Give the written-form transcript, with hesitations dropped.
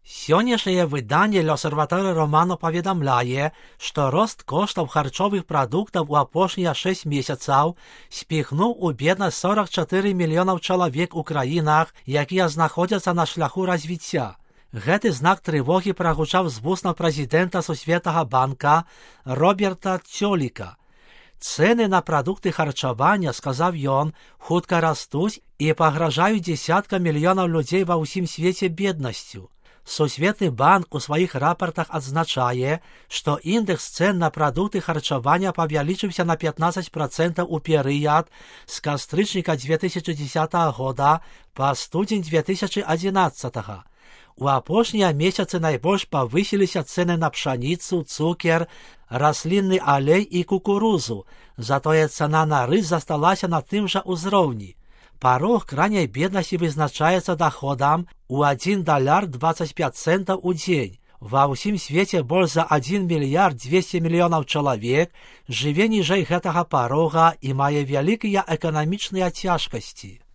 Сённяшняе выданне «L'Osservatore Romano» паведамляе, што рост коштаў харчовых прадуктаў у апошнія 6 месяцаў спіхнуў у беднасць 44 мільёнаў чалавек у краінах, якія знаходзяцца на шляху развіцця. Гэты знак трывогі прагучаў з вуснаў прэзідэнта Сусветнага банка Роберта Цёліка. Цэны на прадукты харчавання, сказаў ён, хутка растуць і пагражаюць дзесяткам мільёнаў людзей ва ўсім свеце беднасцю. Сусветны банк у сваіх рапартах адзначае, што індэкс цэн на прадукты харчавання павялічыўся на 15% у перыяд з кастрычніка 2010 года па студзень 2011. У апошнія месяцы найбольш павысіліся цэны на пшаніцу, цукер, раслінны алей і кукурузу, затое цана на рыс засталася на тым жа ўзроўні. Парог крайняй беднасці вызначаецца доходам у $1.25 у дзень. Ва ўсім свеце больш за 1 мільярд 200 мільёнаў чалавек жыве ніжэй гэтага парога і мае вялікія эканамічныя цяжкасці.